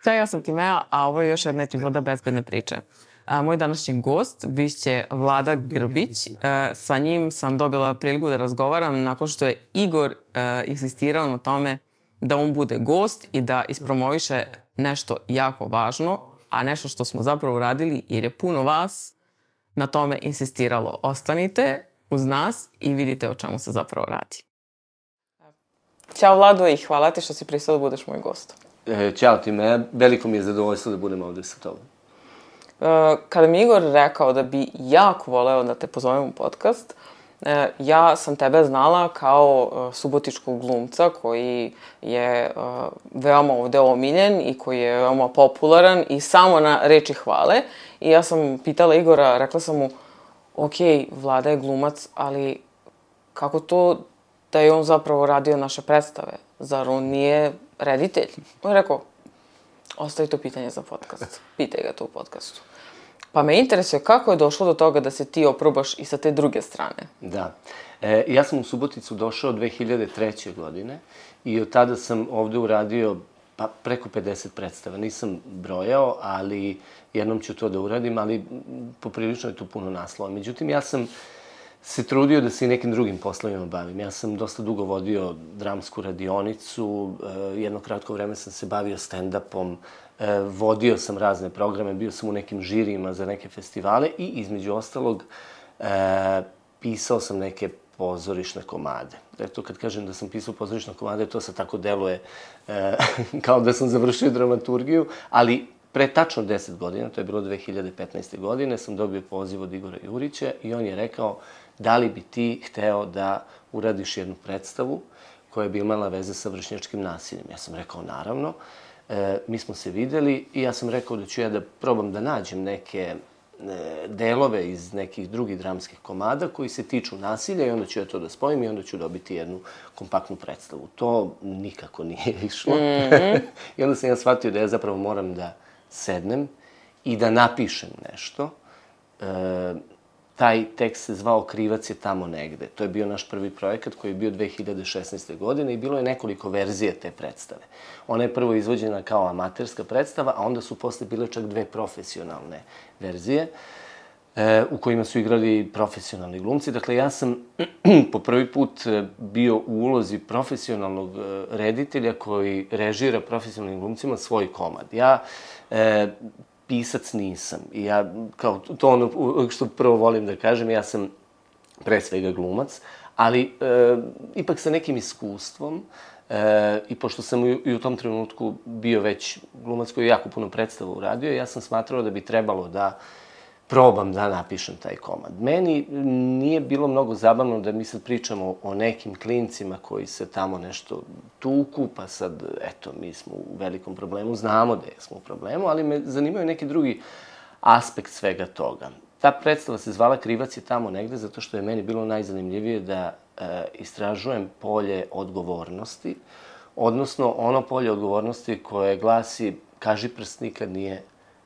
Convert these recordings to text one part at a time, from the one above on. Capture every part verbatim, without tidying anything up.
Da, ja sam Timea, a ovo je još jedna epizoda Bezbedne priče. A, moj današnji gost biće Vlada Grbić. E, sa njim sam dobila priliku da razgovaram nakon što je Igor e, insistirao na tome da on bude gost i da ispromoviše nešto jako važno, a nešto što smo zapravo uradili jer je puno vas na tome insistiralo. Ostanite uz nas i vidite o čemu se zapravo radi. Ćao Vlado i hvala ti što si pristao da budeš moj gost. E, ćao Timea, veliko mi je zadovoljstvo da budem ovde sa tobom. E, kada mi Igor rekao da bi jako voleo da te pozovem u podcast, e, ja sam tebe znala kao e, subotičkog glumca koji je e, veoma ovde omiljen i koji je veoma popularan i samo na reči hvale. I ja sam pitala Igora, rekla sam mu, ok, Vlada je glumac, ali kako to da je on zapravo radio naše predstave? Zar on nije reditelj? On je rekao, ostavi to pitanje za podcast. Pitaj ga to u podcastu. Pa me interesuje kako je došlo do toga da se ti oprobaš i sa te druge strane. Da. E, ja sam u Suboticu došao dve hiljade treće. godine i od tada sam ovde uradio pa, preko pedeset predstava. Nisam brojao, ali jednom ću to da uradim, ali poprilično je tu puno naslova. Međutim, ja sam se trudio da se i nekim drugim poslovima bavim. Ja sam dosta dugo vodio dramsku radionicu, jedno kratko vreme sam se bavio stand-upom, vodio sam razne programe, bio sam u nekim žirijima za neke festivale i između ostalog pisao sam neke pozorišne komade. Eto, kad kažem da sam pisao pozorišne komade, to se tako deluje kao da sam završio dramaturgiju, ali pre tačno deset godina, to je bilo dve hiljade petnaeste. godine, sam dobio poziv od Igora Jurića i on je rekao da li bi ti hteo da uradiš jednu predstavu koja bi imala veze sa vršnjačkim nasiljem. Ja sam rekao naravno. E, mi smo se videli i ja sam rekao da ću ja da probam da nađem neke e, delove iz nekih drugih dramskih komada koji se tiču nasilja i onda ću ja to da spojim i onda ću dobiti jednu kompaktnu predstavu. To nikako nije išlo. Mm-hmm. I onda sam ja shvatio da ja zapravo moram da sednem i da napišem nešto. E, taj tekst se zvao Krivac je tamo negde. To je bio naš prvi projekat koji je bio dve hiljade šesnaeste. godine i bilo je nekoliko verzija te predstave. Ona je prvo izvođena kao amaterska predstava, a onda su posle bile čak dve profesionalne verzije e, u kojima su igrali profesionalni glumci. Dakle, ja sam po prvi put bio u ulozi profesionalnog reditelja koji režira profesionalnim glumcima svoj komad. Ja e, pisac nisam. I ja, kao to ono što prvo volim da kažem, ja sam pre svega glumac, ali e, ipak sa nekim iskustvom e, i pošto sam i, i u tom trenutku bio već glumac koji je jako puno predstava uradio, ja sam smatrao da bi trebalo da probam da napišem taj komad. Meni nije bilo mnogo zabavno da mi sad pričamo o nekim klincima koji se tamo nešto tuku, pa sad, eto, mi smo u velikom problemu, znamo da smo u problemu, ali me zanimaju neki drugi aspekt svega toga. Ta predstava se zvala Krivac je tamo negde, zato što je meni bilo najzanimljivije da e, istražujem polje odgovornosti, odnosno ono polje odgovornosti koje glasi kaži prst nikad nije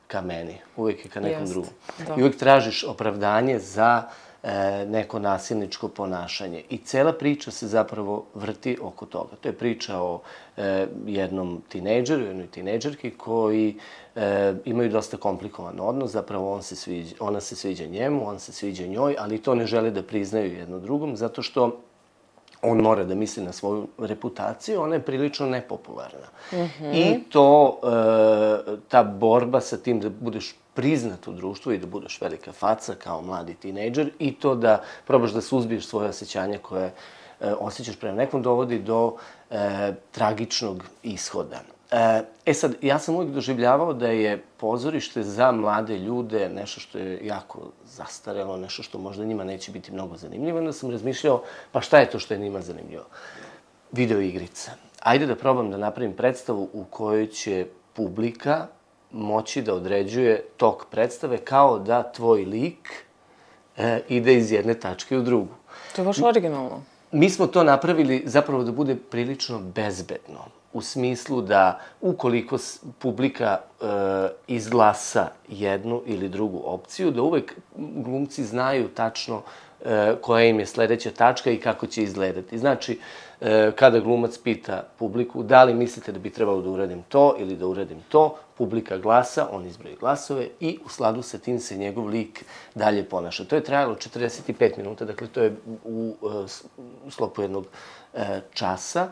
ka meni, uvijek je ka nekom drugom. I uvijek tražiš opravdanje za e, neko nasilničko ponašanje. I cela priča se zapravo vrti oko toga. To je priča o e, jednom tinejdžeru, jednoj tinejdžerki koji e, imaju dosta komplikovan odnos. Zapravo on se sviđa, ona se sviđa njemu, on se sviđa njoj, ali to ne žele da priznaju jedno drugom, zato što on mora da misli na svoju reputaciju, ona je prilično nepopularna. Mm-hmm. I to, e, ta borba sa tim da budeš priznat u društvu i da budeš velika faca kao mladi tinejdžer i to da probaš da suzbiješ svoje osjećanja koje e, osjećaš prema nekom dovodi do e, tragičnog ishoda. E sad, ja sam uvijek doživljavao da je pozorište za mlade ljude nešto što je jako zastarelo, nešto što možda njima neće biti mnogo zanimljivo. Onda sam razmišljao, pa šta je to što je njima zanimljivo? Video igrica. Ajde da probam da napravim predstavu u kojoj će publika moći da određuje tok predstave kao da tvoj lik e, ide iz jedne tačke u drugu. To je baš originalno. Mi smo to napravili zapravo da bude prilično bezbedno. U smislu da ukoliko publika e, izglasa jednu ili drugu opciju, da uvek glumci znaju tačno koja im je sledeća tačka i kako će izgledati. Znači, kada glumac pita publiku da li mislite da bi trebalo da uradim to ili da uradim to, publika glasa, on izbroji glasove i u skladu sa tim se njegov lik dalje ponaša. To je trajalo četrdeset pet minuta, dakle to je u sklopu jednog časa.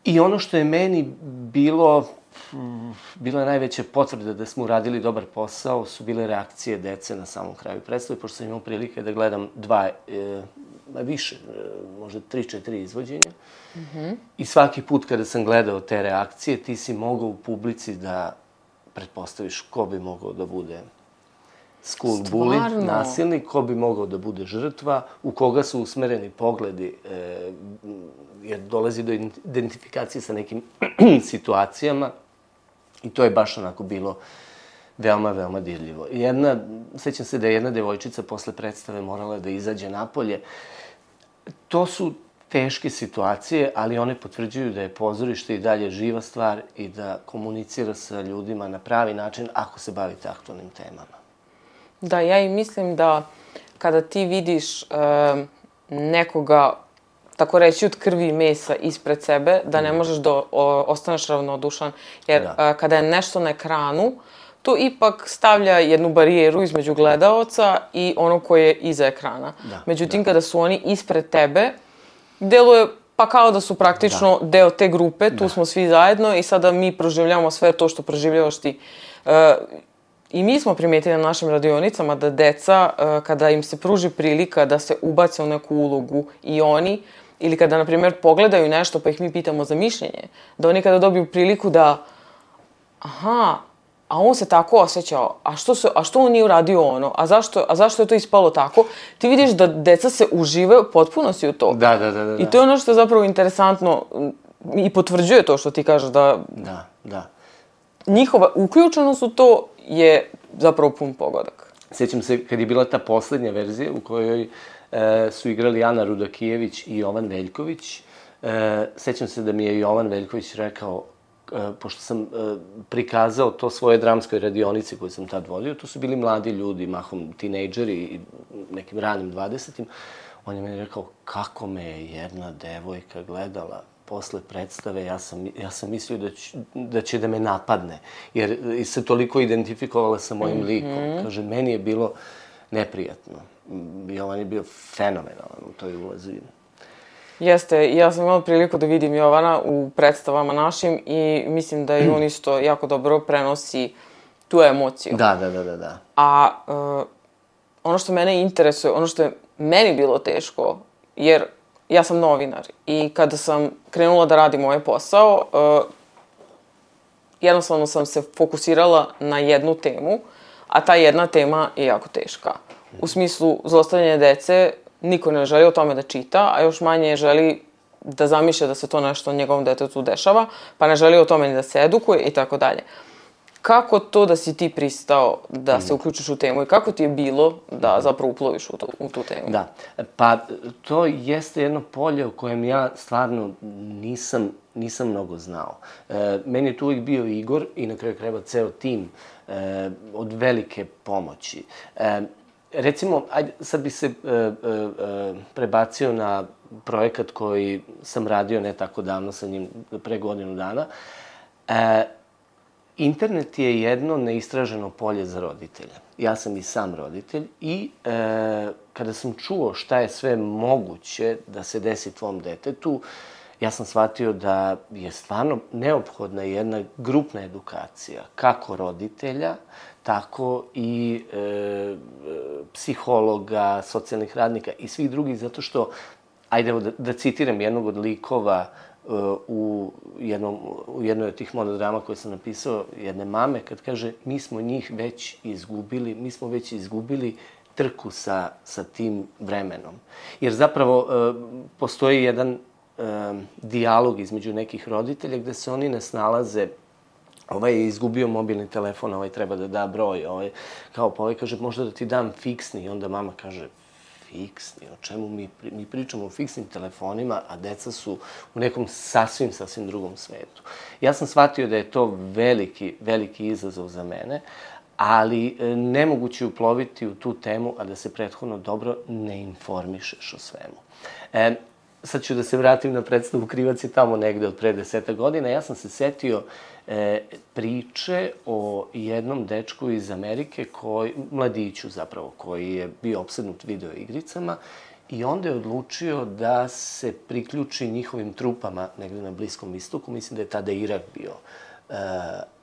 I ono što je meni bilo, bila je najveća potvrda da smo uradili dobar posao, su bile reakcije dece na samom kraju predstave, pošto sam imao prilike da gledam dva, e, više, možda tri, četiri izvođenja. Mm-hmm. I svaki put kada sam gledao te reakcije, ti si mogao u publici da pretpostaviš ko bi mogao da bude school bully, nasilnik, ko bi mogao da bude žrtva, u koga su usmereni pogledi, e, jer dolazi do identifikacije sa nekim situacijama. I to je baš onako bilo veoma, veoma dirljivo. Jedna, sećam se da je jedna devojčica posle predstave morala da izađe napolje. To su teške situacije, ali one potvrđuju da je pozorište i dalje živa stvar i da komunicira sa ljudima na pravi način ako se bavite aktualnim temama. Da, ja i mislim da kada ti vidiš e, nekoga, tako reći, od krvi i mesa ispred sebe, da ne možeš da o, ostaneš ravnodušan. Jer da. a, kada je nešto na ekranu, to ipak stavlja jednu barijeru između gledaoca i onog koji je iza ekrana. Da, Međutim, da. kada su oni ispred tebe, deluje pa kao da su praktično da. deo te grupe, tu da. smo svi zajedno i sada mi proživljamo sve to što proživljavaš ti. E, I mi smo primijetili na našim radionicama da deca, e, kada im se pruži prilika da se ubace u neku ulogu i oni, ili kada, na primjer, pogledaju nešto pa ih mi pitamo za mišljenje, da oni kada dobiju priliku da, aha, a on se tako osjećao, a što, se, a što on nije uradio ono, a zašto, a zašto je to ispalo tako, ti vidiš da deca se uživaju potpuno si u to. Da, da, da, da. I to je ono što je zapravo interesantno i potvrđuje to što ti kažeš da... Da, da. Njihova uključenost u to je zapravo pun pogodak. Sjećam se kad je bila ta poslednja verzija u kojoj e, su igrali Ana Rudakijević i Jovan Veljković. E, sećam se da mi je Jovan Veljković rekao, e, pošto sam e, prikazao to svoje dramskoj radionici koju sam tad vodio, to su bili mladi ljudi, mahom tinejdžeri i nekim ranim dvadesetim. On je meni rekao, kako me je jedna devojka gledala posle predstave, ja sam, ja sam mislio da, ću, da će da me napadne, jer se toliko identifikovala sa mojim likom. Mm-hmm. Kaže, meni je bilo neprijatno. Jovan je bio fenomenalan u toj ulozi. Jeste, ja sam imala priliku da vidim Jovana u predstavama našim i mislim da i on isto jako dobro prenosi tu emociju. Da, da, da, da. da. A uh, ono što mene interesuje, ono što je meni bilo teško, jer ja sam novinar i kada sam krenula da radim ovaj posao, uh, jednostavno sam se fokusirala na jednu temu, a ta jedna tema je jako teška. U smislu zlostavljanja dece, niko ne želi o tome da čita, a još manje želi da zamišlja da se to nešto njegovom detetu dešava, pa ne želi o tome ni da se edukuje i tako dalje. Kako to da si ti pristao da se uključiš u temu i kako ti je bilo da zapravo uploviš u tu, u tu temu? Da, pa to jeste jedno polje u kojem ja stvarno nisam, nisam mnogo znao. E, meni je tu uvijek bio Igor i na kraju krajeva ceo tim e, od velike pomoći. E, recimo, ajde, sad bi se e, e, prebacio na projekat koji sam radio ne tako davno sa njim, pre godinu dana. E, Internet je jedno neistraženo polje za roditelja. Ja sam i sam roditelj i e, kada sam čuo šta je sve moguće da se desi tvom detetu, ja sam shvatio da je stvarno neophodna jedna grupna edukacija, kako roditelja, tako i e, psihologa, socijalnih radnika i svih drugih, zato što, ajde da, da citiram jednog od likova u, jednom, u jednoj od tih monodrama koje sam napisao, jedne mame, kad kaže, mi smo njih već izgubili, mi smo već izgubili trku sa, sa tim vremenom. Jer zapravo e, postoji jedan e, dijalog između nekih roditelja gde se oni ne snalaze, ovaj je izgubio mobilni telefon, ovaj treba da da broj, ovaj, kao pa ovaj kaže, možda da ti dam fiksni, i onda mama kaže, fiksni, o čemu mi, mi pričamo o fiksnim telefonima, a deca su u nekom sasvim, sasvim drugom svetu. Ja sam shvatio da je to veliki, veliki izazov za mene, ali nemoguće uploviti u tu temu, a da se prethodno dobro ne informišeš o svemu. E, sad ću da se vratim na predstavu Krivac je tamo negde od pre deseta godina. Ja sam se setio e, priče o jednom dečku iz Amerike, koji, mladiću zapravo, koji je bio opsednut video igricama i onda je odlučio da se priključi njihovim trupama negde na Bliskom istoku. Mislim da je tada Irak bio e,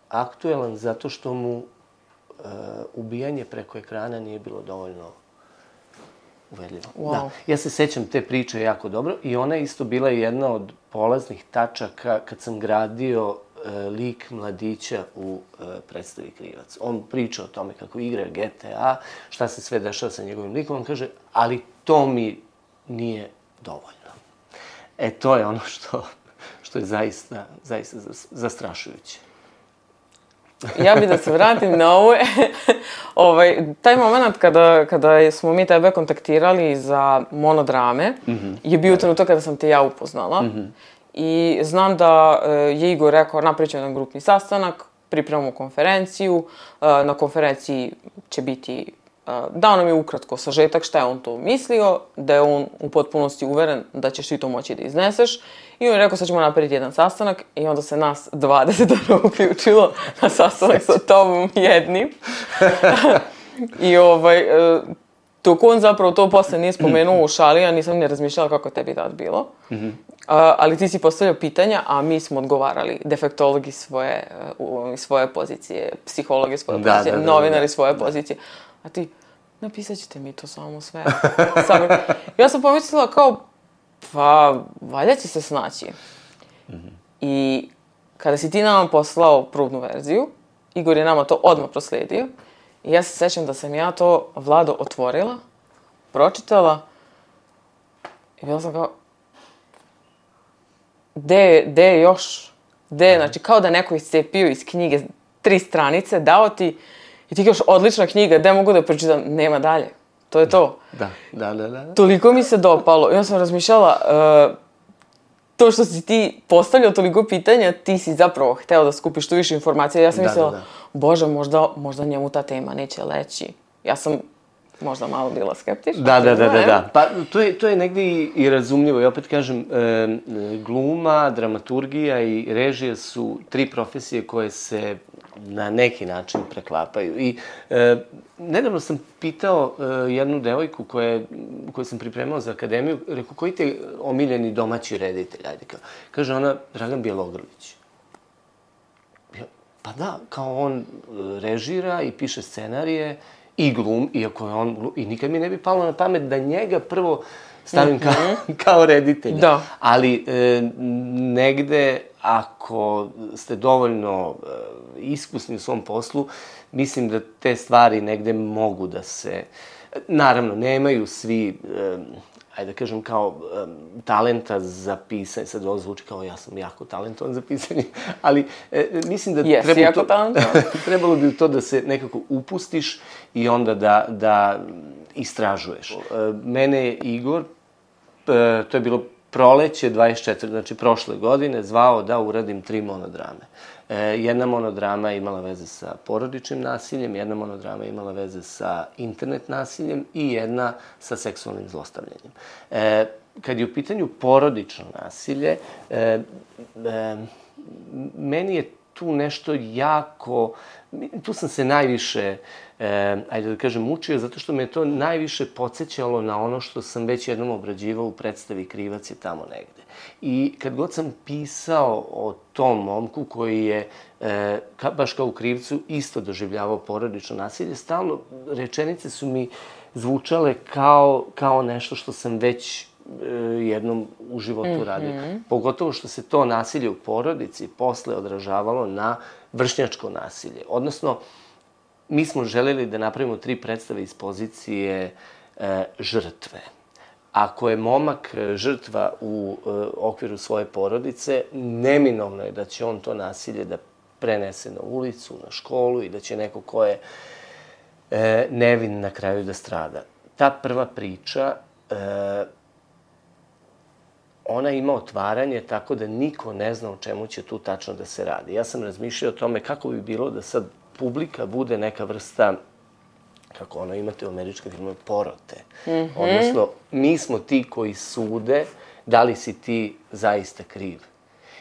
aktuelan, zato što mu e, ubijanje preko ekrana nije bilo dovoljno uverljivo. Wow. Da. Ja se sećam te priče jako dobro i ona je isto bila jedna od polaznih tačaka kad sam gradio e, lik mladića u e, predstavi Krivac. On priča o tome kako igra G T A, šta se sve dešava sa njegovim likom. On kaže, ali to mi nije dovoljno. E, to je ono što, što je zaista, zaista zastrašujuće. Ja bih da se vratim na ovo. ovaj, taj moment kada, kada smo mi tebe kontaktirali za monodrame mm-hmm. je bio trenutak kada sam te ja upoznala. Mm-hmm. I znam da je Igor rekao, napričao jedan grupni sastanak, pripremamo konferenciju. Na konferenciji će biti, dao nam je ukratko sažetak šta je on to mislio, da je on u potpunosti uveren da ćeš ti to moći da izneseš. I on je rekao, sad ćemo napraviti jedan sastanak i onda se nas dvadeset uključilo na sastanak sa tobom jednim. I ovaj, dok on zapravo to posle nije spomenuo u šali, ja nisam ne razmišljala kako je tebi tad bilo. Mm-hmm. A, ali ti si postavljao pitanja, a mi smo odgovarali. Defektologi svoje, svoje pozicije, psihologi svoje da, pozicije, da, da, novinari da, svoje da. pozicije. A ti, napisat ćete mi to samo sve. Sami. Ja sam pomislila kao, pa, valjda će se snaći. Mm-hmm. I kada si ti nama poslao probnu verziju, Igor je nama to odmah prosledio. I ja se sećam da sam ja to, Vlado, otvorila, pročitala i bila sam kao, gde, gde je još? Gde je, znači, kao da neko iscepio iz knjige tri stranice, dao ti i ti kažeš, odlična knjiga, gde mogu da pročitam? Nema dalje. To je to. Da, da, da, da. Toliko mi se dopalo. I onda sam razmišljala, uh, to što si ti postavljao toliko pitanja, ti si zapravo hteo da skupiš tu više informacija. Ja sam da, mislila, da, da. Bože, možda, možda njemu ta tema neće leći. Ja sam možda malo bila skeptična. Da, da, da, da, da. Pa to je, to je negde i, i razumljivo. I opet kažem, e, gluma, dramaturgija i režija su tri profesije koje se na neki način preklapaju. I e, nedavno sam pitao e, jednu devojku koje, koju sam pripremao za akademiju, rekao, koji te omiljeni domaći reditelj? Ajde, kao. Kaže ona, Dragan Bjelogrlić. Pa da, kao on režira i piše scenarije i glum, iako je on glum, i nikad mi ne bi palo na pamet da njega prvo stavim kao, mm-hmm. kao reditelja. Da. Ali e, negde, ako ste dovoljno e, iskusni u svom poslu, mislim da te stvari negde mogu da se... Naravno, nemaju svi... E, ajde da kažem, kao um, talenta za pisanje, sad ovo zvuči kao ja sam jako talentovan za pisanje, ali e, mislim da yes, trebalo, to, trebalo bi u to da se nekako upustiš i onda da, da istražuješ. E, mene je Igor, e, to je bilo proleće dvadeset četvrte, znači prošle godine, zvao da uradim tri monodrame. E, jedna monodrama je imala veze sa porodičnim nasiljem, jedna monodrama je imala veze sa internet nasiljem i jedna sa seksualnim zlostavljanjem. E, kad je u pitanju porodično nasilje, e, e, meni je tu nešto jako... Tu sam se najviše, e, ajde da kažem, mučio, zato što me je to najviše podsjećalo na ono što sam već jednom obrađivao u predstavi Krivac je tamo negde. I kad god sam pisao o tom momku koji je, e, ka, baš kao u Krivcu, isto doživljavao porodično nasilje, stalno rečenice su mi zvučale kao, kao nešto što sam već e, jednom u životu mm-hmm. radio. Pogotovo što se to nasilje u porodici posle odražavalo na vršnjačko nasilje. Odnosno, mi smo želeli da napravimo tri predstave iz pozicije e, žrtve. Ako je momak žrtva u e, okviru svoje porodice, neminovno je da će on to nasilje da prenese na ulicu, na školu i da će neko ko je e, nevin na kraju da strada. Ta prva priča, e, ona ima otvaranje tako da niko ne zna o čemu će tu tačno da se radi. Ja sam razmišljao o tome kako bi bilo da sad publika bude neka vrsta, kako ono imate u američkim filmovima, porote. Mm-hmm. Odnosno, mi smo ti koji sude da li si ti zaista kriv.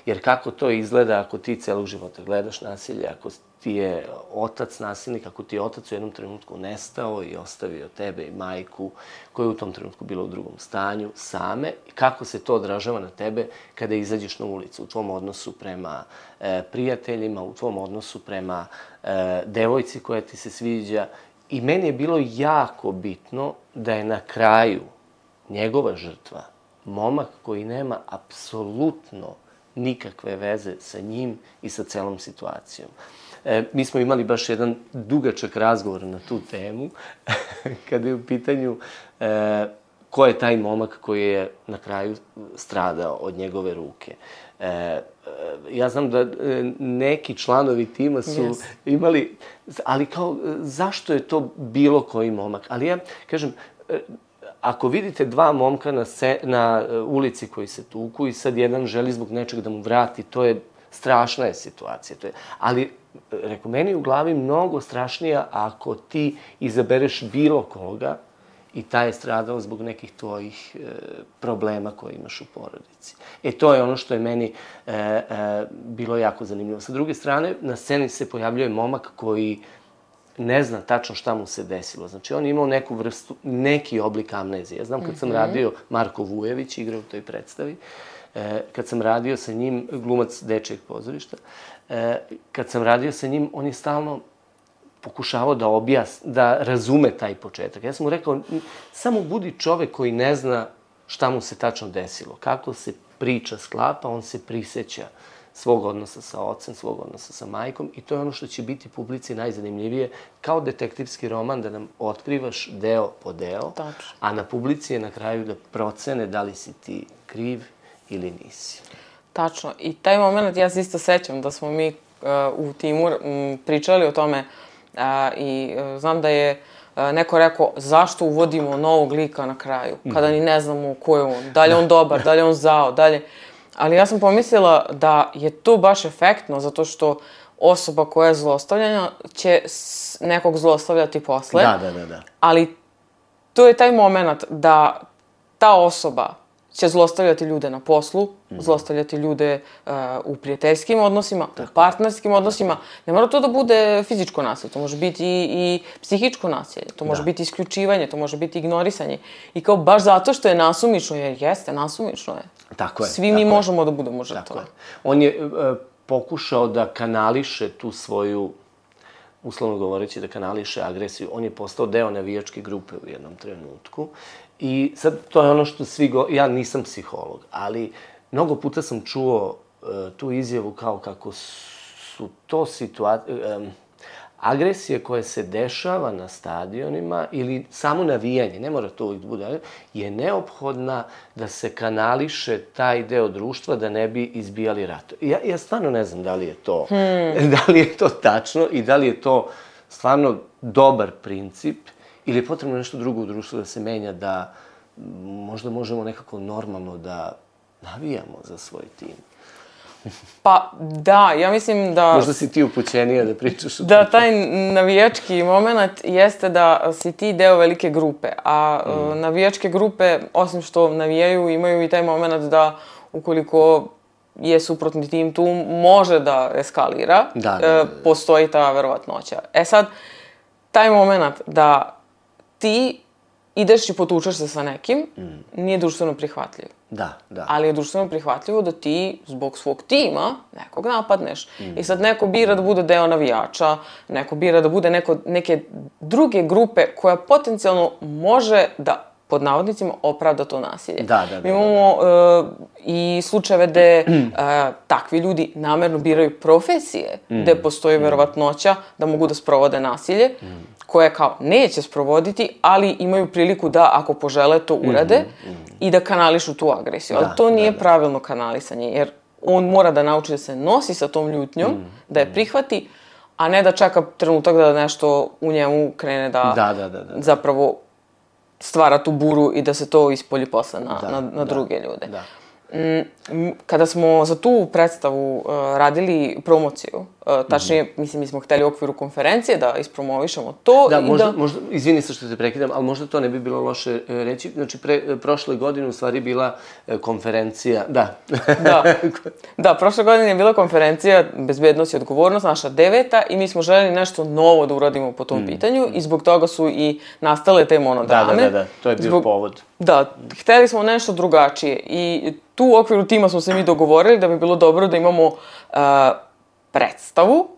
Jer kako to izgleda ako ti celog života gledaš nasilje, ako ti je otac nasilnik, ako ti je otac u jednom trenutku nestao i ostavio tebe i majku, koja je u tom trenutku bila u drugom stanju, same, i kako se to odražava na tebe kada izađeš na ulicu, u tvom odnosu prema e, prijateljima, u tvom odnosu prema e, devojci koja ti se sviđa. I meni je bilo jako bitno da je na kraju njegova žrtva momak koji nema apsolutno nikakve veze sa njim i sa celom situacijom. E, mi smo imali baš jedan dugačak razgovor na tu temu, kada je u pitanju e, ko je taj momak koji je na kraju stradao od njegove ruke. E, e, ja znam da neki članovi tima su yes. imali, ali kao, zašto je to bilo koji momak? Ali ja, kažem, ako vidite dva momka na, se, na ulici koji se tuku i sad jedan želi zbog nečeg da mu vrati, to je strašna je situacija. To je, ali, reko, meni je u glavi mnogo strašnija ako ti izabereš bilo koga i taj je stradao zbog nekih tvojih e, problema koje imaš u porodici. E, to je ono što je meni e, e, bilo jako zanimljivo. Sa druge strane, na sceni se pojavljuje momak koji ne zna tačno šta mu se desilo. Znači, on je imao neku vrstu, neki oblik amnezije. Ja znam kad sam radio, Marko Vujević igra u toj predstavi, e, kad sam radio sa njim, glumac dečijeg pozorišta, e, kad sam radio sa njim, on je stalno pokušavao da objasni, da razume taj početak. Ja sam mu rekao, samo budi čovek koji ne zna šta mu se tačno desilo. Kako se priča sklapa, on se priseća svog odnosa sa ocem, svog odnosa sa majkom, i to je ono što će biti publici najzanimljivije, kao detektivski roman, da nam otkrivaš deo po deo, Tačno. A na publici je na kraju da procene da li si ti kriv ili nisi. Tačno. I taj moment, ja se isto sećam da smo mi uh, u timu um, pričali o tome uh, i uh, znam da je uh, neko rekao zašto uvodimo novog lika na kraju, kada ni ne znamo ko je on, da li je on dobar, da li je on zao, da li... Ali ja sam pomislila da je to baš efektno, zato što osoba koja je zlostavljena će nekog zlostavljati posle. Da, da, da, da. Ali to je taj moment da ta osoba će zlostavljati ljude na poslu, mm. zlostavljati ljude uh, u prijateljskim odnosima, tako, u partnerskim odnosima. Ne mora to da bude fizičko nasilje, to može biti i, i psihičko nasilje, to može da. biti isključivanje, to može biti ignorisanje. I kao baš zato što je nasumično, jer jeste, nasumično je. Tako je. Svi tako mi je. možemo da budemo žrtve. Tako je. On je uh, pokušao da kanališe tu svoju, uslovno govoreći, da kanališe agresiju. On je postao deo navijačke grupe u jednom trenutku. I sad, to je ono što svi go... Ja nisam psiholog, ali mnogo puta sam čuo uh, tu izjavu kao kako su to situacije... Um, agresije koje se dešava na stadionima ili samo navijanje, ne mora to uvijek da bude, je neophodna da se kanališe taj deo društva da ne bi izbijali rato. Ja, ja stvarno ne znam da li je to, hmm. da li je to tačno i da li je to stvarno dobar princip ili je potrebno nešto drugo u društvu da se menja, da možda možemo nekako normalno da navijamo za svoj tim. Pa da, ja mislim da... Možda si ti upućenija da pričaš o tom. Da, taj navijački moment jeste da si ti deo velike grupe, a mm. navijačke grupe, osim što navijaju, imaju i taj moment da ukoliko je suprotni tim tu, može da eskalira, da, da, da, da. postoji ta verovatnoća. E sad, taj moment da ti ideš i potučeš se sa nekim, mm. nije društveno prihvatljiv. Da, da. Ali je društveno prihvatljivo da ti zbog svog tima nekog napadneš. Mm. I sad neko bira da bude deo navijača, neko bira da bude neko, neke druge grupe koja potencijalno može da, pod navodnicima, opravda to nasilje. Da, da, da. Mi imamo da, da. Uh, i slučajeve gde uh, takvi ljudi namerno biraju profesije, mm. gde postoji verovatnoća da mogu da sprovode nasilje, mm. koje kao neće sprovoditi, ali imaju priliku da, ako požele, to urade mm, mm. i da kanališu tu agresiju. Da, ali to nije da, da. pravilno kanalisanje, jer on mora da nauči da se nosi sa tom ljutnjom, mm, da je prihvati, a ne da čeka trenutak da nešto u njemu krene da, da, da, da, da. zapravo stvara tu buru i da se to ispolji posle na, da, na, na da, druge ljude. Da. Kada smo za tu predstavu uh, radili promociju, Uh, tačnije, mm-hmm. mislim, mi smo hteli u okviru konferencije da ispromovišemo to. Da, i možda, da... možda, izvini se što te prekidam, ali možda to ne bi bilo loše reći. Znači, pre, prošle godine u stvari bila konferencija, da. da, da, prošle godine je bila konferencija Bezbednost i odgovornost, naša deveta, i mi smo želeli nešto novo da uradimo po tom mm. pitanju i zbog toga su i nastale te monodrame. Da, da, da, da. To je bio zbog... povod. Da, hteli smo nešto drugačije i tu u okviru tima smo se mi dogovorili da bi bilo dobro da imamo uh, predstavu,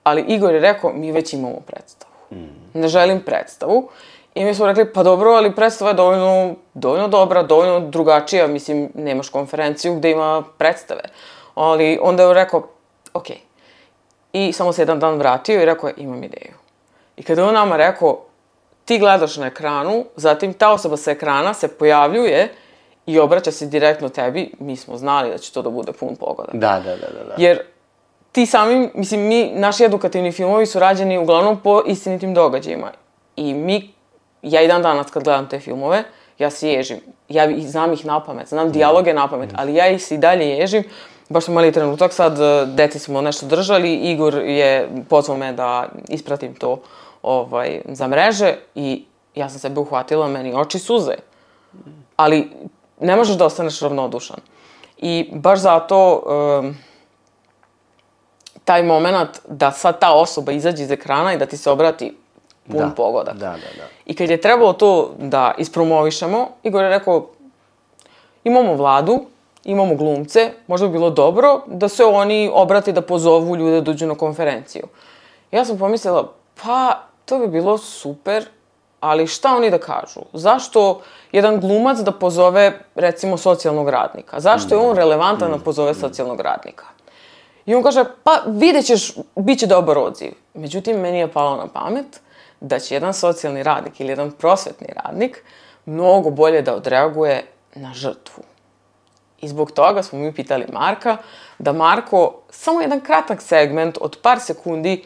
ali Igor je rekao, mi već imamo predstavu. Mm. Ne želim predstavu. I mi smo rekli, pa dobro, ali predstava je dovoljno, dovoljno dobra, dovoljno drugačija. Mislim, nemaš konferenciju gde ima predstave. Ali onda je rekao, okej. I samo se jedan dan vratio i rekao, imam ideju. I kada je on nama rekao, ti gledaš na ekranu, zatim ta osoba sa ekrana se pojavljuje i obraća se direktno tebi, mi smo znali da će to da bude pun pogodak. Da, da, da, da, da. Jer ti sami, mislim, mi, naši edukativni filmovi su rađeni uglavnom po istinitim događajima. I mi, ja i dan danas kad gledam te filmove, ja se ježim. Ja znam ih napamet, znam dijaloge napamet, ali ja ih se i dalje ježim. Baš smo imali trenutak sad, deci smo nešto držali, Igor je pozvao me da ispratim to ovaj, za mreže i ja sam sebe uhvatila, meni oči suze. Ali ne možeš da ostaneš ravnodušan. I baš zato um, taj moment da sad ta osoba izađe iz ekrana i da ti se obrati pun da, pogodak. Da, da, da. I kad je trebalo to da ispromovišemo, Igor je rekao, imamo vladu, imamo glumce, možda bi bilo dobro da se oni obrati da pozovu ljude da dođu na konferenciju. Ja sam pomislila, pa to bi bilo super, ali šta oni da kažu? Zašto jedan glumac da pozove, recimo, socijalnog radnika? Zašto je on relevantan da pozove socijalnog radnika? I on kaže, pa vidjet ćeš, bit će dobar odziv. Međutim, meni je palo na pamet da će jedan socijalni radnik ili jedan prosvetni radnik mnogo bolje da odreaguje na žrtvu. I zbog toga smo mi pitali Marka da Marko samo jedan kratak segment od par sekundi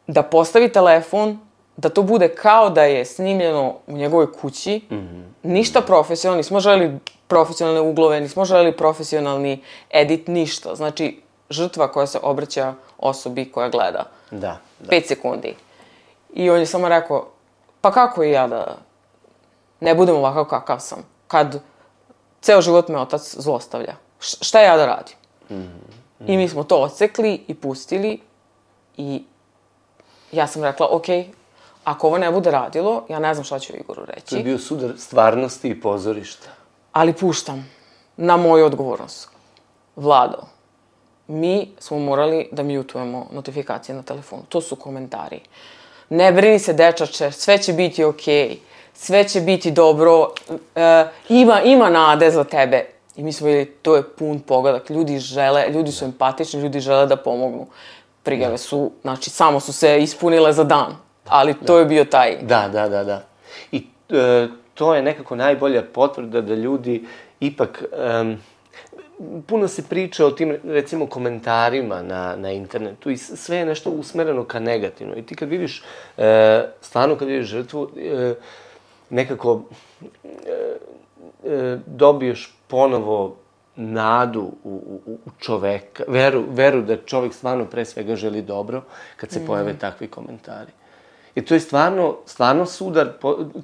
da postavi telefon, da to bude kao da je snimljeno u njegovoj kući, mm-hmm. ništa profesionalno, nismo želeli profesionalne uglove, nismo želeli profesionalni edit, ništa. Znači, žrtva koja se obraća osobi koja gleda. Da, da. Pet sekundi. I on je samo rekao, pa kako i ja da ne budem ovakav kakav sam, kad ceo život me otac zlostavlja. Š- šta ja da radim? Mm-hmm. I mi smo to odsekli i pustili i ja sam rekla, okej, okay, ako ovo ne bude radilo, ja ne znam šta ću Igoru reći. To je bio sudar stvarnosti i pozorišta. Ali puštam na moju odgovornost. Vlado, mi smo morali da mutujemo notifikacije na telefonu. To su komentari. Ne brini se, dečače, sve će biti okej. Okay. Sve će biti dobro. E, ima, ima nade za tebe. I mi smo vidjeli, to je pun pogodak. Ljudi žele, ljudi su empatični, ljudi žele da pomognu. Prijave su, znači, samo su se ispunile za dan. Ali to da. je bio taj... Da, da, da, da. I e, to je nekako najbolja potvrda da ljudi ipak... Um, puno se priča o tim, recimo, komentarima na, na internetu i sve je nešto usmereno ka negativno. I ti kad vidiš, e, stvarno kad vidiš žrtvu, e, nekako e, e, dobiješ ponovo nadu u, u, u čoveka, veru, veru da čovek stvarno pre svega želi dobro kad se mm. pojave takvi komentari. I to je stvarno, stvarno sudar,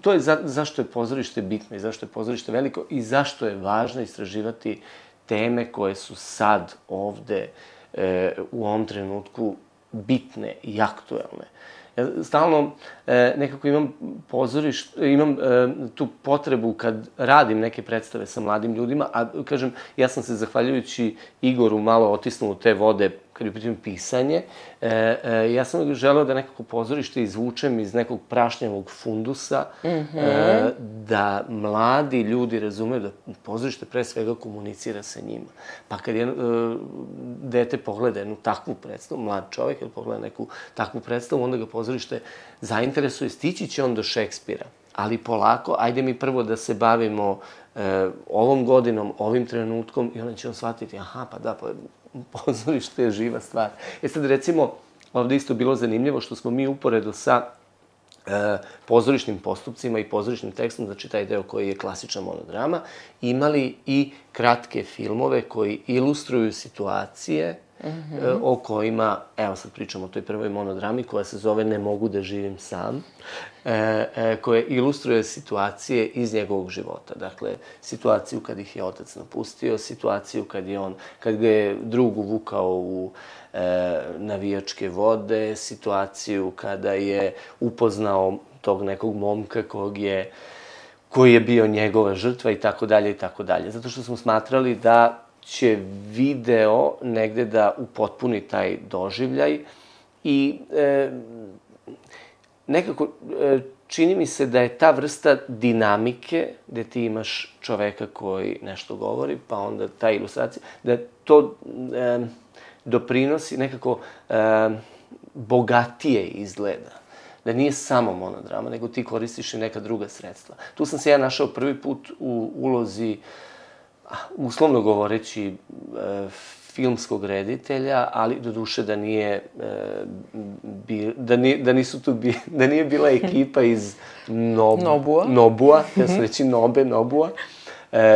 to je za, zašto je pozorište bitno i zašto je pozorište veliko i zašto je važno istraživati teme koje su sad ovde e, u ovom trenutku bitne i aktuelne. Ja stalno e, nekako imam pozorište, imam e, tu potrebu kad radim neke predstave sa mladim ljudima, a kažem, ja sam se zahvaljujući Igoru malo otisnuo u te vode kad je u pitanju pisanje, e, e, ja sam želeo da nekako pozorište izvučem iz nekog prašnjavog fundusa, mm-hmm. e, da mladi ljudi razumeju da pozorište pre svega komunicira sa njima. Pa kad je e, dete pogleda jednu takvu predstavu, mlad čovjek ili pogleda neku takvu predstavu, onda ga pozorište zainteresuje, stići će on do Šekspira. Ali polako, ajde mi prvo da se bavimo e, ovom godinom, ovim trenutkom i onda će on shvatiti, aha, pa da, pa pozorište je živa stvar. E sad, recimo, ovde isto bilo zanimljivo što smo mi uporedo sa e, pozorišnim postupcima i pozorišnim tekstom, znači taj deo koji je klasična monodrama, imali i kratke filmove koji ilustruju situacije mm-hmm. o kojima, evo sad pričamo o toj prvoj monodrami koja se zove Ne mogu da živim sam, e, e, koje ilustruje situacije iz njegovog života. Dakle, situaciju kad ih je otac napustio, situaciju kad je on, kad ga je drug uvukao u e, navijačke vode, situaciju kada je upoznao tog nekog momka kog je, koji je bio njegova žrtva i tako dalje i tako dalje. Zato što smo smatrali da će video negde da upotpuni taj doživljaj i e, nekako e, čini mi se da je ta vrsta dinamike gde ti imaš čoveka koji nešto govori, pa onda ta ilustracija, da to e, doprinosi nekako e, bogatije izgleda. Da nije samo monodrama, nego ti koristiš i neka druga sredstva. Tu sam se ja našao prvi put u ulozi, uslovno govoreći, filmskog reditelja, ali doduše da nije, da, nije, da, nisu tu bi, da nije bila ekipa iz Nob, Nobua, Nobua, ja sam reći Nobe, Nobua.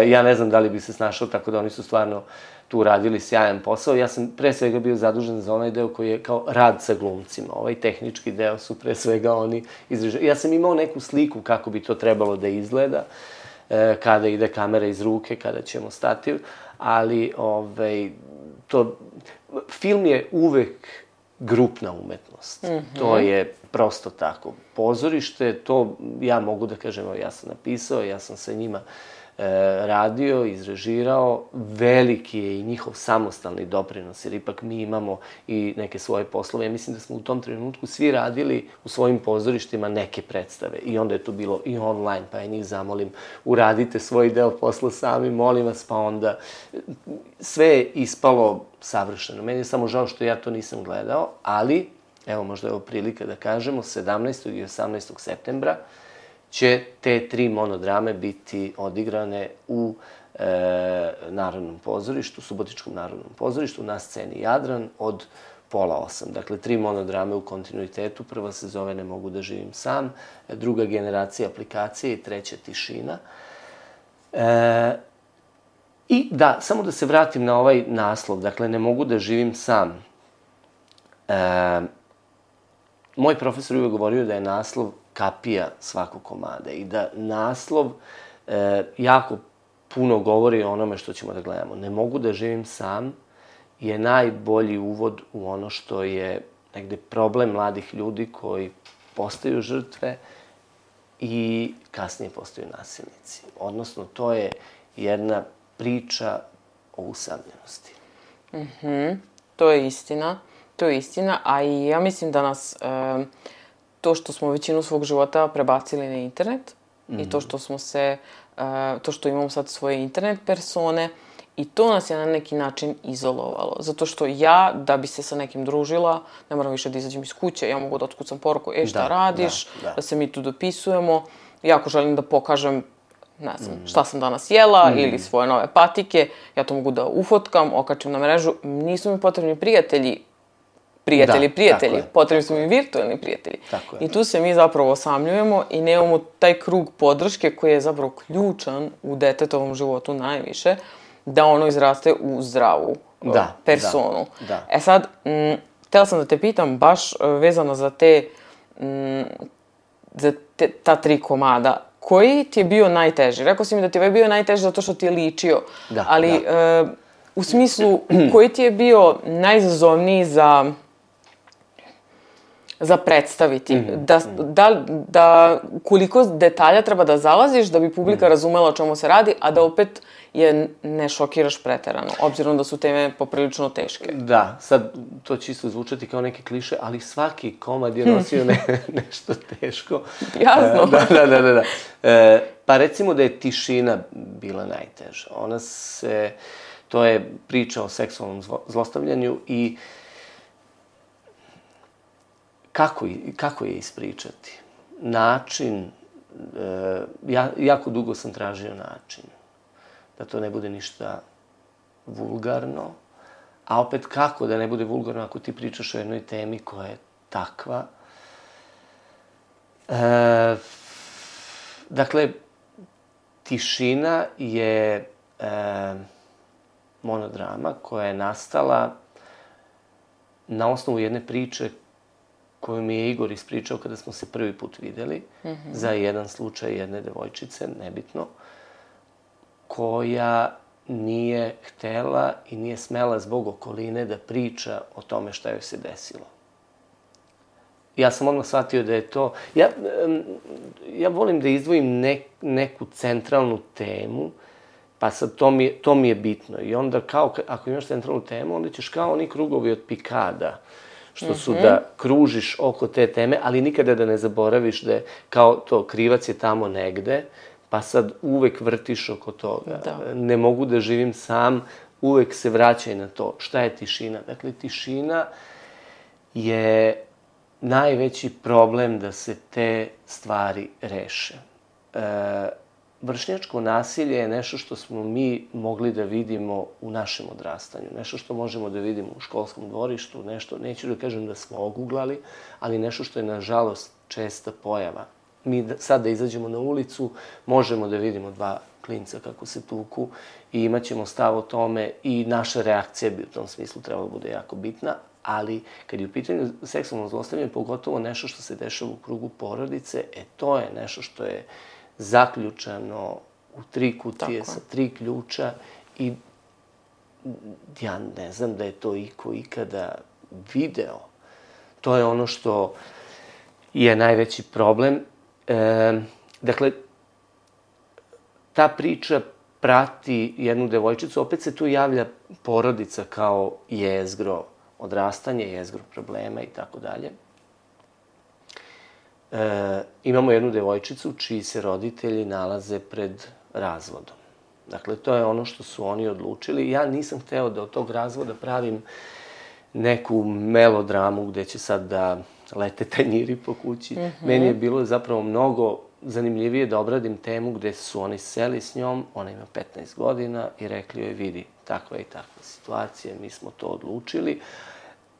Ja ne znam da li bi se snašao, tako da oni su stvarno tu radili sjajan posao. Ja sam pre svega bio zadužen za onaj deo koji je kao rad sa glumcima. Ovaj tehnički deo su pre svega oni izrežili. Ja sam imao neku sliku kako bi to trebalo da izgleda, kada ide kamera iz ruke, kada ćemo stativ, ali ovaj, to, film je uvek grupna umetnost. Mm-hmm. To je prosto tako. Pozorište, to ja mogu da kažem, ja sam napisao, ja sam sa njima radio, izrežirao, veliki je i njihov samostalni doprinos, jer ipak mi imamo i neke svoje poslove. Ja mislim da smo u tom trenutku svi radili u svojim pozorištima neke predstave i onda je to bilo i online, pa ja njih zamolim, uradite svoj deo posla sami, molim vas, pa onda sve je ispalo savršeno. Meni je samo žao što ja to nisam gledao, ali, evo možda je ovo prilika da kažemo, sedamnaestog i osamnaestog septembra će te tri monodrame biti odigrane u e, Narodnom pozorištu, Subotičkom Narodnom pozorištu, na sceni Jadran od pola osam. Dakle, tri monodrame u kontinuitetu. Prva se zove Ne mogu da živim sam, druga Generacija aplikacije i treća Tišina. E, I da, samo da se vratim na ovaj naslov, dakle, Ne mogu da živim sam. E, moj profesor uvek govorio da je naslov kapija svakog komada i da naslov e, jako puno govori o onome što ćemo da gledamo. Ne mogu da živim sam je najbolji uvod u ono što je negde problem mladih ljudi koji postaju žrtve i kasnije postaju nasilnici. Odnosno, to je jedna priča o usamljenosti. Mm-hmm. To je istina. To je istina, a i ja mislim da nas e, to što smo većinu svog života prebacili na internet mm-hmm. i to što smo se, e, to što imamo sad svoje internet persone i to nas je na neki način izolovalo. Zato što ja, da bi se sa nekim družila, ne moram više da izađem iz kuće, ja mogu da otkucam poruku, e, šta da, radiš, da, da. da se mi tu dopisujemo. Ja ako želim da pokažem, ne znam, mm. šta sam danas jela mm. ili svoje nove patike, ja to mogu da ufotkam, okačim na mrežu. Nisu mi potrebni prijatelji, prijatelji, da, prijatelji, potrebni su mi virtualni prijatelji. I tu se mi zapravo osamljujemo i nemamo taj krug podrške koji je zapravo ključan u detetovom životu najviše, da ono izraste u zdravu da, personu. Da, da. E sad, m, htjela sam da te pitam baš vezano za te, m, za te, ta tri komada, koji ti je bio najteži? Rekao si mi da ti je bio najteži zato što ti je ličio, da, ali da. E, u smislu koji ti je bio najizazovniji za za predstaviti, mm-hmm. da, da, da koliko detalja treba da zalaziš da bi publika mm-hmm. razumela o čemu se radi, a da opet je ne šokiraš preterano, obzirom da su teme poprilično teške. Da, sad to će isto zvučati kao neke kliše, ali svaki komad je nosio ne, nešto teško. Jasno. E, da, da, da, da. E, pa recimo da je Tišina bila najteža. Ona se, to je priča o seksualnom zlostavljanju i Kako, kako je ispričati? Način, e, ja, jako dugo sam tražio način. Da to ne bude ništa vulgarno. A opet kako da ne bude vulgarno ako ti pričaš o jednoj temi koja je takva. E, dakle, Tišina je e, monodrama koja je nastala na osnovu jedne priče koju mi je Igor ispričao kada smo se prvi put videli, mm-hmm. za jedan slučaj jedne devojčice, nebitno, koja nije htela i nije smela zbog okoline da priča o tome šta joj se desilo. Ja sam odmah shvatio da je to... Ja, ja volim da izdvojim ne, neku centralnu temu, pa sad to mi, je, to mi je bitno. I onda kao, ako imaš centralnu temu, onda ćeš kao oni krugovi od pikada, što su mm-hmm. da kružiš oko te teme, ali nikada da ne zaboraviš da je kao to, krivac je tamo negde, pa sad uvek vrtiš oko toga. Da. Ne mogu da živim sam, uvek se vraćaj na to. Šta je tišina? Dakle, tišina je najveći problem da se te stvari reše. E, vršnjačko nasilje je nešto što smo mi mogli da vidimo u našem odrastanju. Nešto što možemo da vidimo u školskom dvorištu, nešto, neću da kažem da smo oguglali, ali nešto što je, nažalost, česta pojava. Mi da, sad da izađemo na ulicu, možemo da vidimo dva klinca kako se tuku i imaćemo stav o tome i naša reakcija bi u tom smislu trebala da bude jako bitna, ali kad je u pitanju seksualno zlostavljanje, pogotovo nešto što se dešava u krugu porodice, e to je nešto što je zaključano u tri kutije sa tri ključa i ja ne znam da je to iko ikada video. To je ono što je najveći problem. E, dakle, ta priča prati jednu devojčicu, opet se tu javlja porodica kao jezgro odrastanje, jezgro problema i tako dalje. E, imamo jednu devojčicu čiji se roditelji nalaze pred razvodom. Dakle, to je ono što su oni odlučili. Ja nisam hteo da od tog razvoda pravim neku melodramu gde će sad da lete tanjiri po kući. Mm-hmm. Meni je bilo zapravo mnogo zanimljivije da obradim temu gde su oni seli s njom, ona ima petnaest godina i rekli joj, vidi, takva i takva situacija, mi smo to odlučili.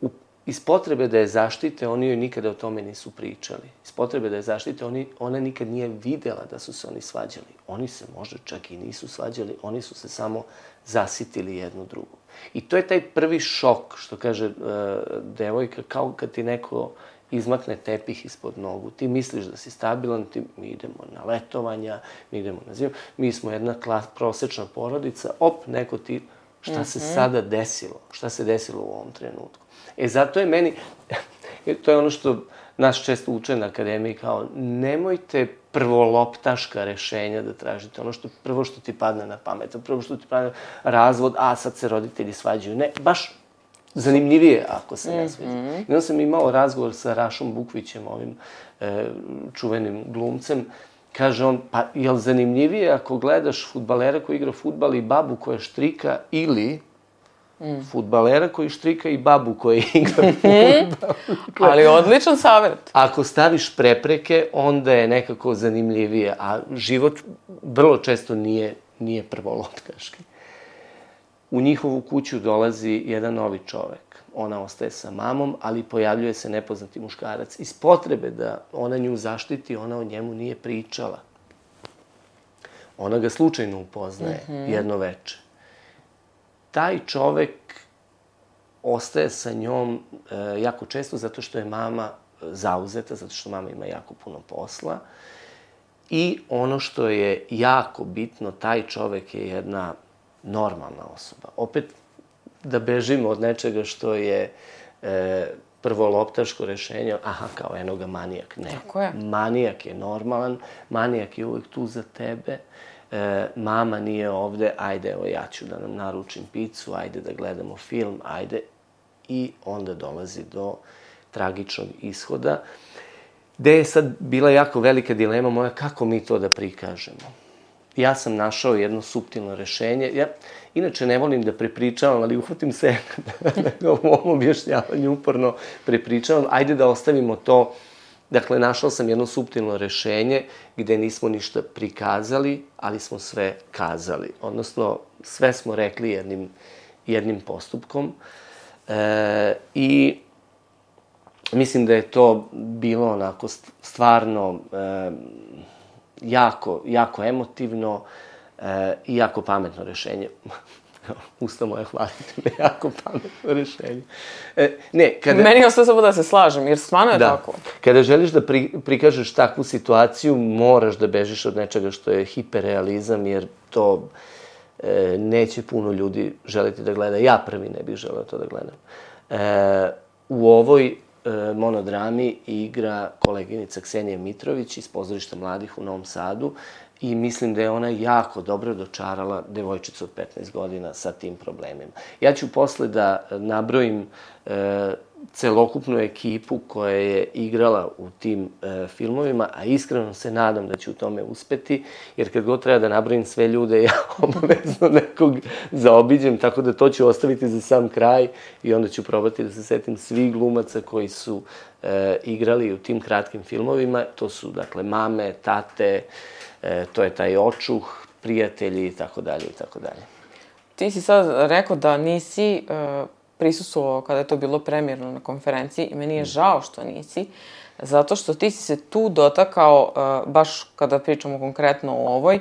U, iz potrebe da je zaštite, oni joj nikada o tome nisu pričali. Iz potrebe da je zaštite, oni, ona nikad nije videla da su se oni svađali. Oni se možda čak i nisu svađali, oni su se samo zasitili jednu drugu. I to je taj prvi šok, što kaže uh, devojka, kao kad ti neko izmakne tepih ispod nogu. Ti misliš da si stabilan, ti, mi idemo na letovanja, mi idemo na zimu, mi smo jedna klas, prosečna porodica, op, neko ti, šta mm-hmm. se sada desilo? Šta se desilo u ovom trenutku? E, zato je meni, to je ono što nas često uče na akademiji, kao, nemojte prvoloptaška rešenja da tražite, ono što prvo što ti padne na pamet, prvo što ti padne razvod, a sad se roditelji svađaju. Ne, baš zanimljivije ako se ne sviđa. Mm-hmm. I onda sam imao razgovor sa Rašom Bukvićem, ovim e, čuvenim glumcem. Kaže on, pa je li zanimljivije ako gledaš fudbalera koji igra fudbal i babu koja štrika ili mm. fudbalera koji štrika i babu koja igra fudbal? Ali odličan savjet. Ako staviš prepreke, onda je nekako zanimljivije, a život vrlo često nije, nije prvoloptaški. U njihovu kuću dolazi jedan novi čovek. Ona ostaje sa mamom, ali pojavljuje se nepoznati muškarac. Iz potrebe da ona nju zaštiti, ona o njemu nije pričala. Ona ga slučajno upoznaje mm-hmm. jedno veče. Taj čovek ostaje sa njom e, jako često zato što je mama zauzeta, zato što mama ima jako puno posla. I ono što je jako bitno, taj čovek je jedna normalna osoba. Opet, da bežimo od nečega što je e, prvoloptaško rešenje, aha, kao eno ga manijak. Ne, tako je. Manijak je normalan, manijak je uvek tu za tebe, e, mama nije ovde, ajde, evo ja ću da nam naručim picu, ajde da gledamo film, ajde. I onda dolazi do tragičnog ishoda, gde je sad bila jako velika dilema moja kako mi to da prikažemo. Ja sam našao jedno suptilno rešenje. Ja inače ne volim da prepričavam, ali uhvatim se da u ovom objašnjavanju uporno prepričavam. Ajde da ostavimo to. Dakle, našao sam jedno suptilno rešenje gde nismo ništa prikazali, ali smo sve kazali. Odnosno, sve smo rekli jednim, jednim postupkom. E, I mislim da je to bilo onako stvarno e, jako, jako emotivno e, i jako pametno rešenje. usta moja, hvalite me, jako pametno rešenje. E, ne, kada... Meni ostaje samo da se slažem, jer stvarno je da. tako. Kada želiš da pri, prikažeš takvu situaciju, moraš da bežiš od nečega što je hiperrealizam, jer to e, neće puno ljudi želiti da gleda. Ja prvi ne bih želeo to da gledam. E, u ovoj e, monodrami igra koleginica Ksenija Mitrović iz Pozorišta mladih u Novom Sadu i mislim da je ona jako dobro dočarala devojčicu od petnaest godina sa tim problemima. Ja ću posle da nabrojim e, celokupnu ekipu koja je igrala u tim e, filmovima, a iskreno se nadam da ću u tome uspeti, jer kad god treba da nabrojim sve ljude, ja obavezno nekog zaobiđem, tako da to ću ostaviti za sam kraj i onda ću probati da se setim svih glumaca koji su e, igrali u tim kratkim filmovima. To su, dakle, mame, tate, e, to je taj očuh, prijatelji i tako dalje i tako dalje. Ti si sad rekao da nisi uh, prisustvovao kada je to bilo premijerno na konferenciji i meni je žao što nisi, zato što ti si se tu dotakao, uh, baš kada pričamo konkretno o ovoj,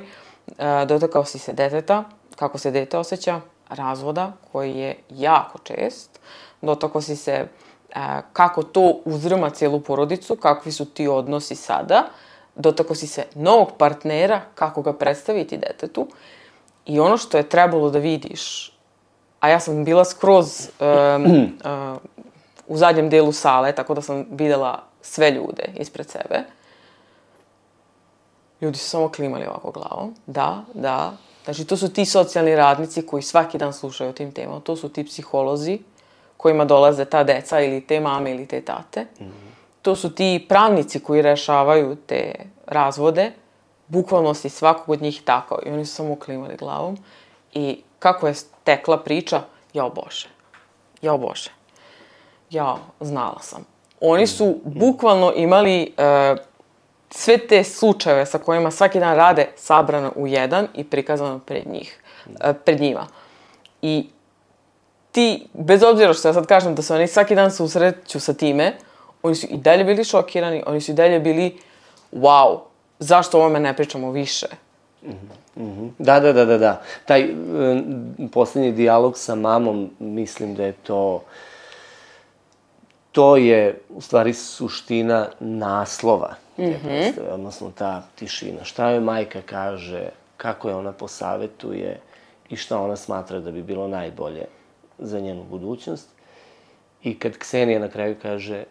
uh, dotakao si se deteta, kako se dete osjeća, razvoda, koji je jako čest, dotakao si se uh, kako to uzrma cijelu porodicu, kakvi su ti odnosi sada, dotakao si se novog partnera, kako ga predstaviti detetu. I ono što je trebalo da vidiš, a ja sam bila skroz um, uh, u zadnjem delu sale, tako da sam videla sve ljude ispred sebe. Ljudi su samo klimali ovako glavom. Da, da. Znači, to su ti socijalni radnici koji svaki dan slušaju o tim temama. To su ti psiholozi kojima dolaze ta deca ili te mame ili te tate. Mm-hmm. To su ti pravnici koji rešavaju te razvode. Bukvalno si svakog od njih tako. I oni su samo klimali glavom. I kako je tekla priča, jao Bože. Jao Bože. Jao, znala sam. Oni su bukvalno imali uh, sve te slučajeve sa kojima svaki dan rade sabrano u jedan i prikazano pred njih, uh, pred njima. I ti, bez obzira što ja sad kažem da se oni svaki dan susreću sa time, oni su i dalje bili šokirani, oni su i dalje bili wow, zašto o ovome ne pričamo više? Mm-hmm. Da, da, da, da, da. Taj um, posljednji dijalog sa mamom, mislim da je to... To je, u stvari, suština naslova te mm-hmm. predstave, odnosno ta tišina. Šta joj majka kaže, kako je ona posavetuje i šta ona smatra da bi bilo najbolje za njenu budućnost. I kad Ksenija na kraju kaže, e,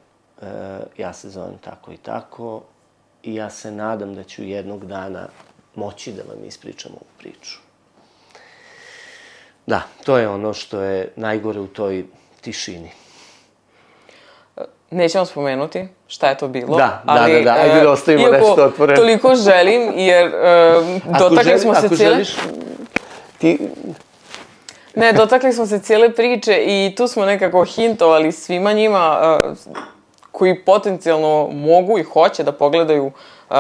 ja se zovem tako i tako i ja se nadam da ću jednog dana moći da vam ispričam ovu priču. Da, to je ono što je najgore u toj tišini. Nećemo spomenuti šta je to bilo. Da, ali, da, da, da, ajde da ostavimo nešto otvoreno. Iako toliko želim, jer uh, dotakli želi, smo se ako cijele... Želiš, ti... Ne, dotakli smo se cijele priče i tu smo nekako hintovali svima njima uh, koji potencijalno mogu i hoće da pogledaju uh,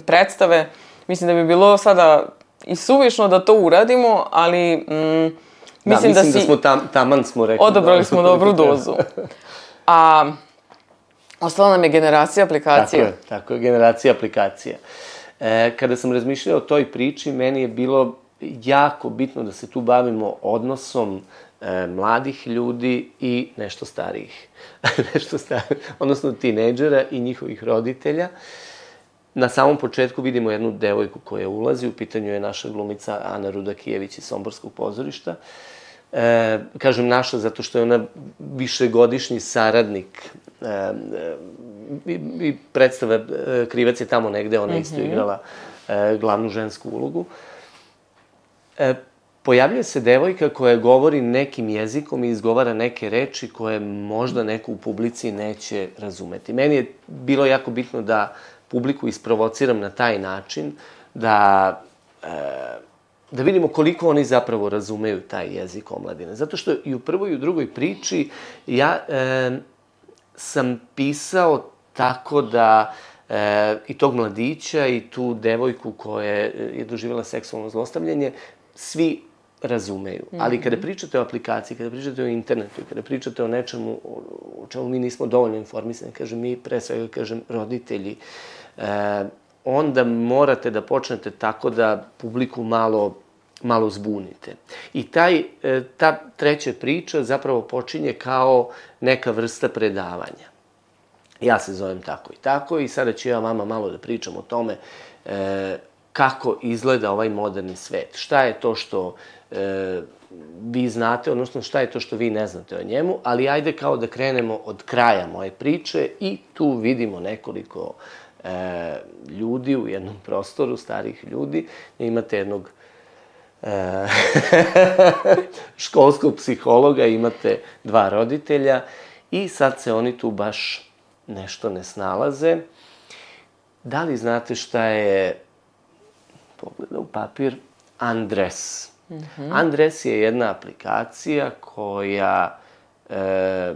predstave. Mislim da bi bilo sada i suvišno da to uradimo, ali mm, mislim da, da si... Da, mislim da smo tam, taman smo rekli. Odabrali smo dobru dozu. A ostala nam je generacija aplikacija. Tako je, tako je, generacija aplikacija. E, kada sam razmišljao o toj priči, meni je bilo jako bitno da se tu bavimo odnosom e, mladih ljudi i nešto starijih. nešto starijih, odnosno tinejdžera i njihovih roditelja. Na samom početku vidimo jednu devojku koja ulazi, u pitanju je naša glumica Ana Rudakijević iz Somborskog pozorišta. E, kažem naša zato što je ona višegodišnji saradnik e, i, i predstava e, Krivac je tamo negde, ona mm-hmm. isto igrala e, glavnu žensku ulogu. E, pojavljuje se devojka koja govori nekim jezikom i izgovara neke reči koje možda neko u publici neće razumeti. Meni je bilo jako bitno da publiku isprovociram na taj način, da... E, da vidimo koliko oni zapravo razumeju taj jezik omladine. Zato što i u prvoj i u drugoj priči ja e, sam pisao tako da e, i tog mladića i tu devojku koja je doživjela seksualno zlostavljanje svi razumeju. Mm-hmm. Ali kada pričate o aplikaciji, kada pričate o internetu, kada pričate o nečemu o čemu mi nismo dovoljno informisani, kažem mi pre svega, kažem roditelji, e, onda morate da počnete tako da publiku malo malo zbunite. I taj, ta treća priča zapravo počinje kao neka vrsta predavanja. Ja se zovem tako i tako i sada ću ja vama malo da pričam o tome e, kako izgleda ovaj moderni svet. Šta je to što e, vi znate, odnosno šta je to što vi ne znate o njemu, ali ajde kao da krenemo od kraja moje priče i tu vidimo nekoliko e, ljudi u jednom prostoru, starih ljudi. Imate jednog e, školskog psihologa, imate dva roditelja i sad se oni tu baš nešto ne snalaze. Da li znate šta je, pogleda u papir, Andres? Mm-hmm. Andres je jedna aplikacija koja, e,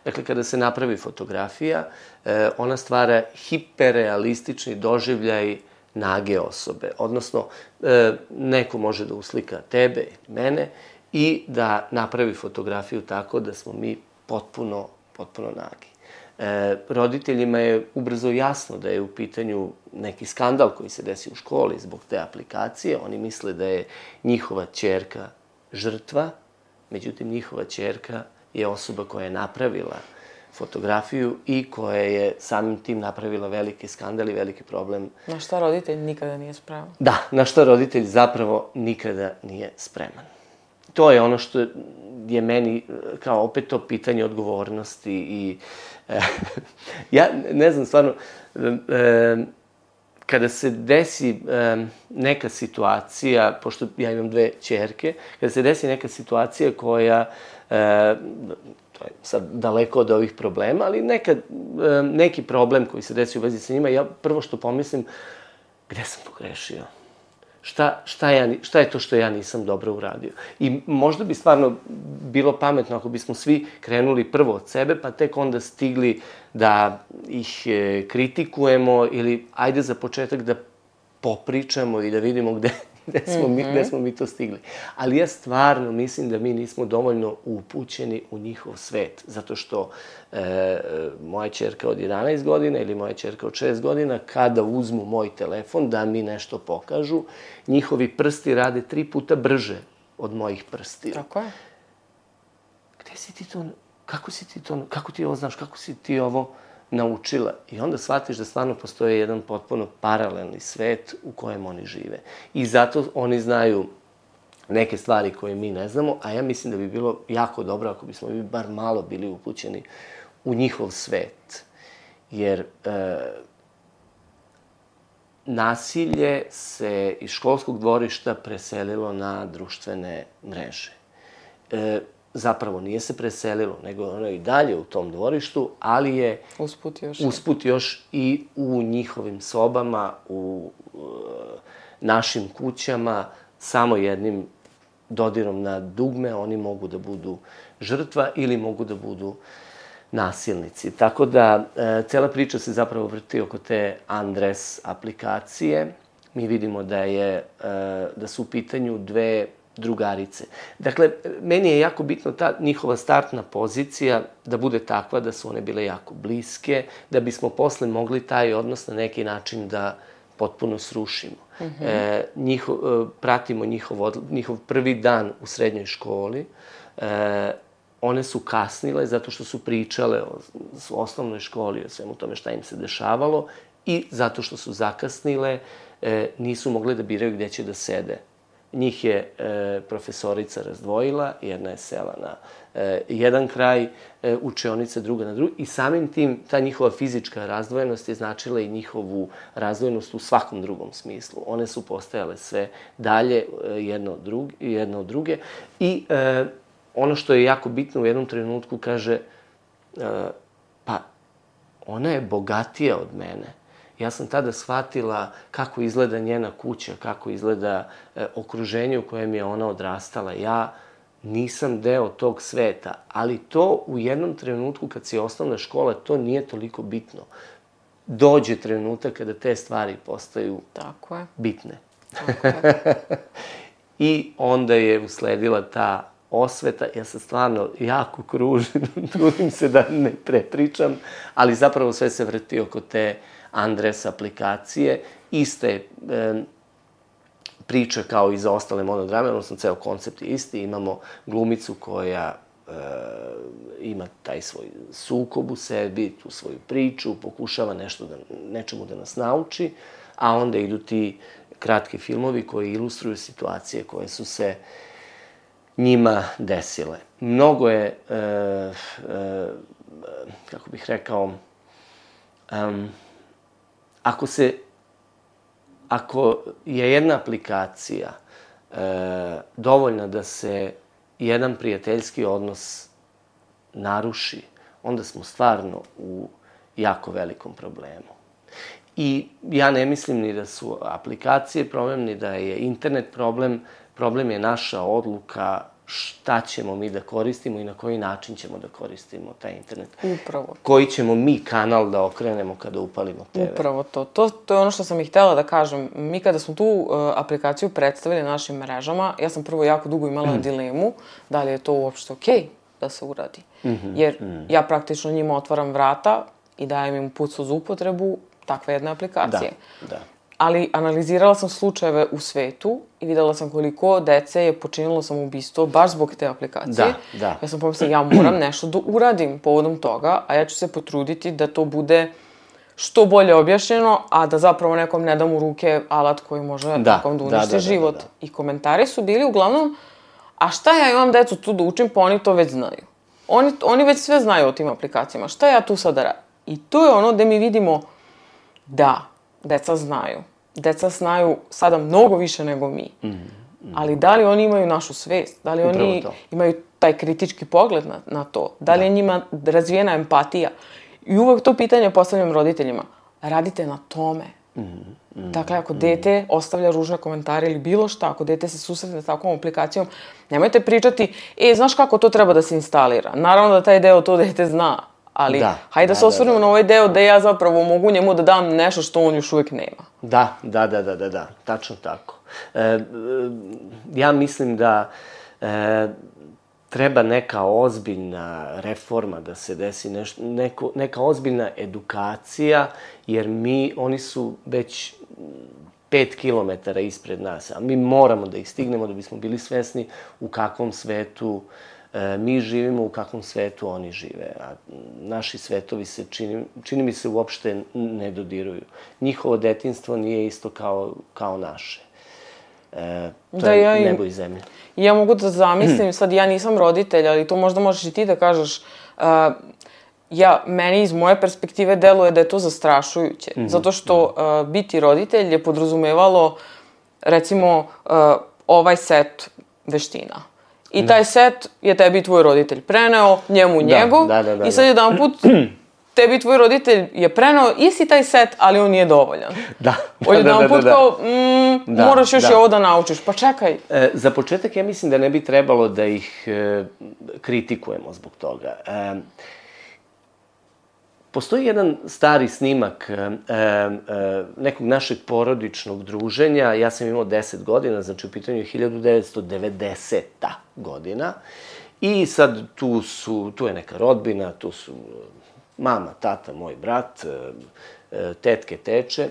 dakle, kada se napravi fotografija, e, ona stvara hiperrealistični doživljaj nage osobe. Odnosno, e, neko može da uslika tebe i mene i da napravi fotografiju tako da smo mi potpuno, potpuno nagi. E, roditeljima je ubrzo jasno da je u pitanju neki skandal koji se desi u školi zbog te aplikacije. Oni misle da je njihova ćerka žrtva, međutim njihova ćerka je osoba koja je napravila fotografiju i koja je samim tim napravila veliki skandal i veliki problem. Na šta roditelj nikada nije spreman? Da, na šta roditelj zapravo nikada nije spreman. To je ono što je meni kao opet to pitanje odgovornosti i e, ja ne znam stvarno, e, kada se desi e, neka situacija, pošto ja imam dve ćerke, kada se desi neka situacija koja, e, to je sad daleko od ovih problema, ali neka, e, neki problem koji se desi u vezi sa njima, ja prvo što pomislim, gde sam pogrešio? Šta, šta, ja, šta je to što ja nisam dobro uradio? I možda bi stvarno bilo pametno ako bismo svi krenuli prvo od sebe, pa tek onda stigli da ih e, kritikujemo ili ajde za početak da popričamo i da vidimo gde, gde, smo mi, gde smo mi to stigli. Ali ja stvarno mislim da mi nismo dovoljno upućeni u njihov svet, zato što e, moja ćerka od jedanaest godina ili moja ćerka od šest godina, kada uzmu moj telefon da mi nešto pokažu, njihovi prsti rade tri puta brže od mojih prstiju. Tako je. Gde si ti to, kako si ti to, kako ti ovo znaš, kako si ti ovo naučila? I onda shvatiš da stvarno postoji jedan potpuno paralelni svet u kojem oni žive. I zato oni znaju neke stvari koje mi ne znamo, a ja mislim da bi bilo jako dobro ako bismo mi bar malo bili upućeni u njihov svet. Jer e, nasilje se iz školskog dvorišta preselilo na društvene mreže. E, zapravo nije se preselilo, nego ono i dalje u tom dvorištu, ali je usput još, usput još i u njihovim sobama, u uh, našim kućama, samo jednim dodirom na dugme oni mogu da budu žrtva ili mogu da budu nasilnici. Tako da, e, cela priča se zapravo vrti oko te Andres aplikacije. Mi vidimo da je, e, da su u pitanju dve drugarice. Dakle, meni je jako bitno ta njihova startna pozicija da bude takva da su one bile jako bliske, da bismo posle mogli taj odnos na neki način da potpuno srušimo. Mm-hmm. E, njihov, e, pratimo njihov, odl- njihov prvi dan u srednjoj školi. E, one su kasnile zato što su pričale o, o osnovnoj školi, o svemu tome šta im se dešavalo i zato što su zakasnile, e, nisu mogle da biraju gde će da sede. Njih je e, profesorica razdvojila, jedna je sela na e, jedan kraj e, učionice, druga na drugi i samim tim ta njihova fizička razdvojenost je značila i njihovu razdvojenost u svakom drugom smislu. One su postajale sve dalje e, jedno, od druge, jedno od druge i e, ono što je jako bitno u jednom trenutku kaže e, pa ona je bogatija od mene. Ja sam tada shvatila kako izgleda njena kuća, kako izgleda e, okruženje u kojem je ona odrastala. Ja nisam deo tog sveta, ali to u jednom trenutku kad si osnovna škola, to nije toliko bitno. Dođe trenutak kada te stvari postaju Tako je. bitne. Tako je. I onda je usledila ta osveta, ja sam stvarno jako kružim, trudim se da ne prepričam, ali zapravo sve se vrti oko te Andres aplikacije. Iste e, priča kao i za ostale monodrame, odnosno ceo koncept je isti. Imamo glumicu koja e, ima taj svoj sukob u sebi, tu svoju priču, pokušava nešto da, nečemu da nas nauči, a onda idu ti kratki filmovi koji ilustruju situacije koje su se njima desile. Mnogo je, e, e, kako bih rekao, um, ako se, ako je jedna aplikacija e, dovoljna da se jedan prijateljski odnos naruši, onda smo stvarno u jako velikom problemu. I ja ne mislim ni da su aplikacije problem, ni da je internet problem. Problem je naša odluka šta ćemo mi da koristimo i na koji način ćemo da koristimo taj internet. Upravo. Koji ćemo mi kanal da okrenemo kada upalimo te ve. Upravo to. To, to je ono što sam i htela da kažem. Mi kada smo tu uh, aplikaciju predstavili našim mrežama, ja sam prvo jako dugo imala dilemu da li je to uopšte okej okay da se uradi. Mm-hmm. Jer mm. ja praktično njima otvaram vrata i dajem im uputstvo za upotrebu takve jedne aplikacije. Da, da. Ali analizirala sam slučajeve u svetu i videla sam koliko dece je počinilo samoubistvo baš zbog te aplikacije. Da, da. Ja sam pomislila, ja moram nešto da uradim povodom toga, a ja ću se potruditi da to bude što bolje objašnjeno, a da zapravo nekom ne dam u ruke alat koji može da, nekom da uništi da, da, život. Da, da, da. I komentari su bili uglavnom, a šta ja imam decu tu da učim, pa oni to već znaju. Oni, oni već sve znaju o tim aplikacijama. Šta ja tu sada radim? I to je ono gde mi vidimo da deca znaju. Deca znaju sada mnogo više nego mi. Mm, mm. Ali da li oni imaju našu svest? Da li Upravo oni to. imaju taj kritički pogled na, na to? Da li da. je njima razvijena empatija? I uvek to pitanje postavljam roditeljima. Radite na tome. Mm, mm, dakle, ako mm. dete ostavlja ružne komentare ili bilo šta, ako dete se susretne s takvom aplikacijom, nemojte pričati, e, znaš kako to treba da se instalira? Naravno da taj deo to dete zna. Ali, da, hajde da, da se osvrnemo da, da. na ovaj deo da ja zapravo mogu njemu da dam nešto što on još uvijek nema. Da, da, da, da, da, da. Tačno tako. E, ja mislim da e, treba neka ozbiljna reforma da se desi, neš, neko, neka ozbiljna edukacija, jer mi, oni su već pet kilometara ispred nas, a mi moramo da ih stignemo da bismo bili svesni u kakvom svetu mi živimo, u kakvom svetu oni žive. A naši svetovi se, čini, čini mi se, uopšte ne dodiruju. Njihovo detinjstvo nije isto kao, kao naše. E, to da, je ja im, nebo i zemlja. Ja mogu da zamislim, sad ja nisam roditelj, ali to možda možeš i ti da kažeš, uh, ja, meni iz moje perspektive deluje da je to zastrašujuće. Mm-hmm. Zato što uh, biti roditelj je podrazumevalo, recimo, uh, ovaj set veština. I taj set je tebi tvoj roditelj preneo, njemu da, njegov, da, da, da, i sad jedan put tebi tvoj roditelj je preneo isti taj set, ali on nije dovoljan. Da, da, jedan da, da, put da, kao, mm, da, moraš još da. i ovo da naučiš, pa čekaj. E, za početak ja mislim da ne bi trebalo da ih e, kritikujemo zbog toga. E, Postoji jedan stari snimak e, e, nekog našeg porodičnog druženja. Ja sam imao deset godina, znači u pitanju je hiljadu devetsto devedeseta godina. I sad tu, su, tu je neka rodbina, tu su mama, tata, moj brat, e, tetke, teče.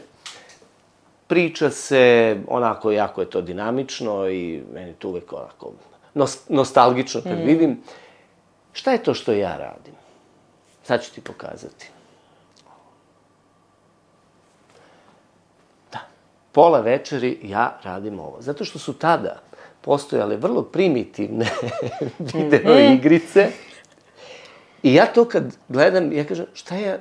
Priča se, onako, jako je to dinamično i meni to uvek onako nostalgično kad mm. vidim. Šta je to što ja radim? Sad ću ti pokazati. Da. Pola večeri ja radim ovo. Zato što su tada postojale vrlo primitivne video igrice. I ja to kad gledam, ja kažem, šta ja,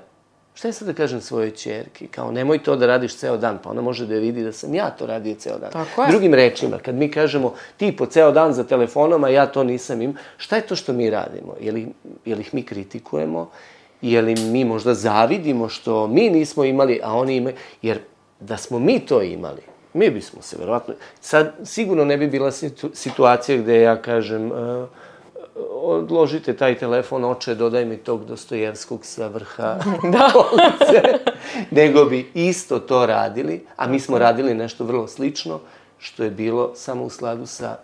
šta ja sad da kažem svojoj ćerki? Kao, nemoj to da radiš ceo dan, pa ona može da vidi da sam ja to radio ceo dan. Tako je. Drugim rečima, kad mi kažemo, ti po ceo dan za telefonom, a ja to nisam im, šta je to što mi radimo? Je li, je li ih mi kritikujemo? Je li mi možda zavidimo što mi nismo imali, a oni imaju? Jer da smo mi to imali, mi bismo se verovatno... Sad, sigurno ne bi bila situ, situacija gde ja kažem, uh, odložite taj telefon, oče, dodaj mi tog Dostojevskog sa vrha police. Nego bi isto to radili, a mi smo radili nešto vrlo slično, što je bilo samo u skladu sa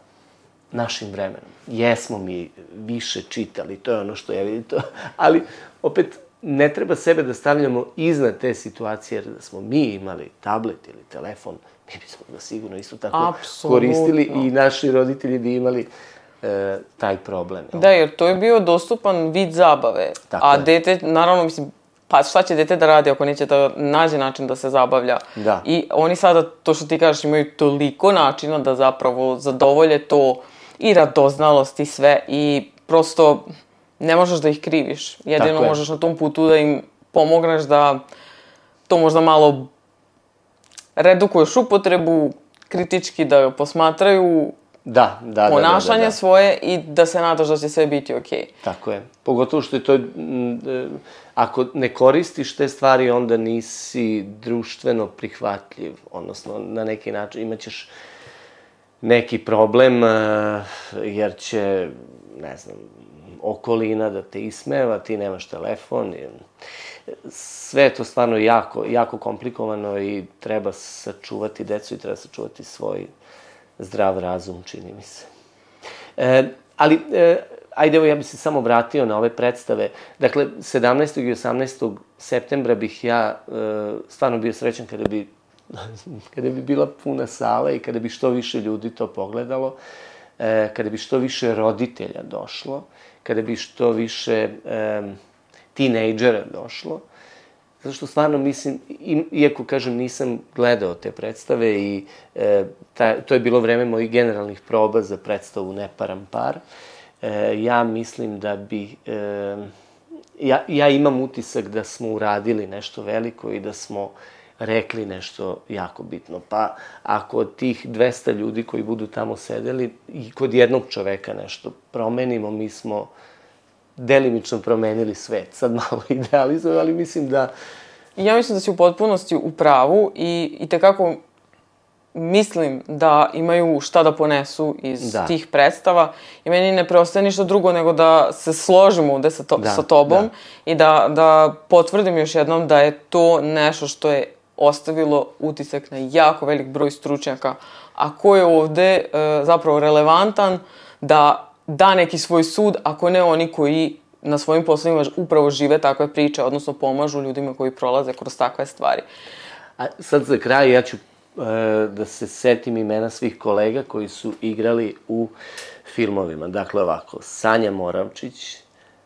našim vremenom. Jesmo mi više čitali, to je ono što ja vidim to, ali opet ne treba sebe da stavljamo iznad te situacije, jer da smo mi imali tablet ili telefon, mi bismo ga sigurno isto tako Apsolutno. koristili i naši roditelji bi imali e, taj problem. Jel? Da, jer to je bio dostupan vid zabave. Tako a je. dete, naravno, mislim, pa šta će dete da radi ako neće da nađe način da se zabavlja? Da. I oni sada, to što ti kažeš, imaju toliko načina da zapravo zadovolje to i radoznalost i sve i prosto ne možeš da ih kriviš. Jedino možeš na tom putu da im pomogneš da to možda malo redukuješ upotrebu, kritički da posmatraju Da, da, ponašanje da, da, da. svoje i da se nadaš da će sve biti okej. Okay. Tako je. Pogotovo što je to, ako ne koristiš te stvari, onda nisi društveno prihvatljiv, odnosno na neki način imaćeš neki problem, jer će, ne znam, okolina da te ismeva, ti nemaš telefon. Sve je to stvarno jako, jako komplikovano i treba sačuvati decu i treba sačuvati svoj zdrav razum, čini mi se. E, ali, e, ajde, evo, ja bih se samo vratio na ove predstave. Dakle, sedamnaestog i osamnaestog septembra bih ja e, stvarno bio srećan kada bi, kada bi bila puna sala i kada bi što više ljudi to pogledalo, e, kada bi što više roditelja došlo, kada bi što više e, tinejdžera došlo. Zato što stvarno mislim, iako kažem nisam gledao te predstave i e, ta, to je bilo vreme mojih generalnih proba za predstavu Neparan par, e, ja mislim da bi, e, ja, ja imam utisak da smo uradili nešto veliko i da smo rekli nešto jako bitno. Pa ako od tih dvesta ljudi koji budu tamo sedeli i kod jednog čoveka nešto promenimo, mi smo delimično promenili svet. Sad malo idealizujem, ali mislim da... Ja mislim da si u potpunosti u pravu i, i tekako mislim da imaju šta da ponesu iz da. tih predstava i meni ne preostaje ništa drugo nego da se složimo ovde sa, to, da, sa tobom da. i da, da potvrdim još jednom da je to nešto što je ostavilo utisak na jako velik broj stručnjaka, a ko je ovde e, zapravo relevantan da da neki svoj sud, ako ne oni koji na svojim poslovima upravo žive takve priče, odnosno pomažu ljudima koji prolaze kroz takve stvari. A sad za kraj ja ću e, da se setim imena svih kolega koji su igrali u filmovima. Dakle, ovako, Sanja Moravčić,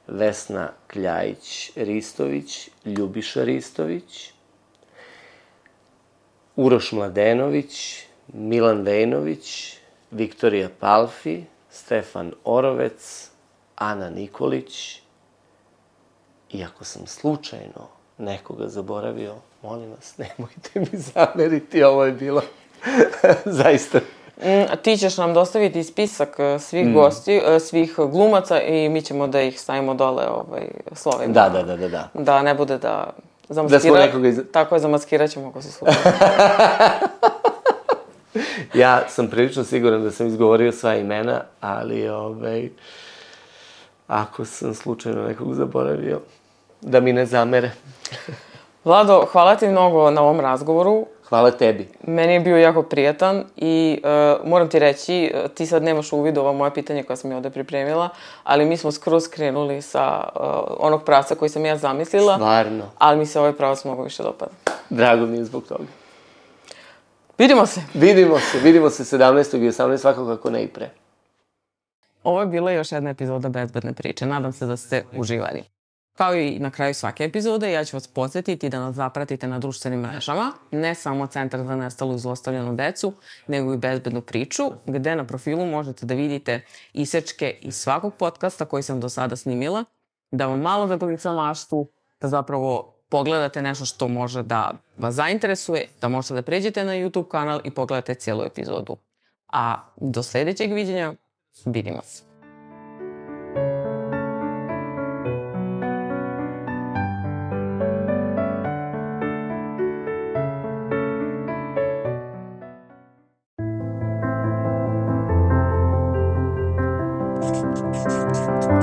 Vesna Kljajić-Ristović, Ljubiša Ristović, Uroš Mladenović, Milan Vejnović, Viktorija Palfi, Stefan Orovec, Ana Nikolić. I ako sam slučajno nekoga zaboravio, molim vas, nemojte mi zameriti, ovo je bilo zaista... Mm, ti ćeš nam dostaviti spisak svih mm. gosti, svih glumaca i mi ćemo da ih stavimo dole ovaj, slovima. Da, da, da, da, da. Da ne bude da zamaskira... Da smo nekoga iz... Tako je, zamaskirat ćemo ako se slučajno. Ja sam prilično siguran da sam izgovorio sva imena, ali ovaj, ako sam slučajno nekog zaboravio, da mi ne zamere. Vlado, hvala ti mnogo na ovom razgovoru. Hvala tebi. Meni je bio jako prijatan i uh, moram ti reći, ti sad nemaš uvid ova moja pitanja koja sam je ovde pripremila, ali mi smo skroz krenuli sa uh, onog pravca koji sam ja zamislila. Stvarno. Ali mi se ovaj pravac mnogo više dopada. Drago mi je zbog toga. Vidimo se. Vidimo se, vidimo se sedamnaestog i osamnaestog svakako ako ne i pre. Ovo je bila još jedna epizoda Bezbedne priče. Nadam se da ste uživali. Kao i na kraju svake epizode, ja ću vas podsjetiti da nas zapratite na društvenim mrežama, ne samo Centar za nestalu i zlostavljanu decu, nego i Bezbednu priču, gde na profilu možete da vidite isečke iz svakog podcasta koji sam do sada snimila, da vam malo zaglica maštu, da zapravo pogledate nešto što može da vas zainteresuje, da možete da pređete na YouTube kanal i pogledate cijelu epizodu. A do sljedećeg viđenja, vidimo se. Thank you.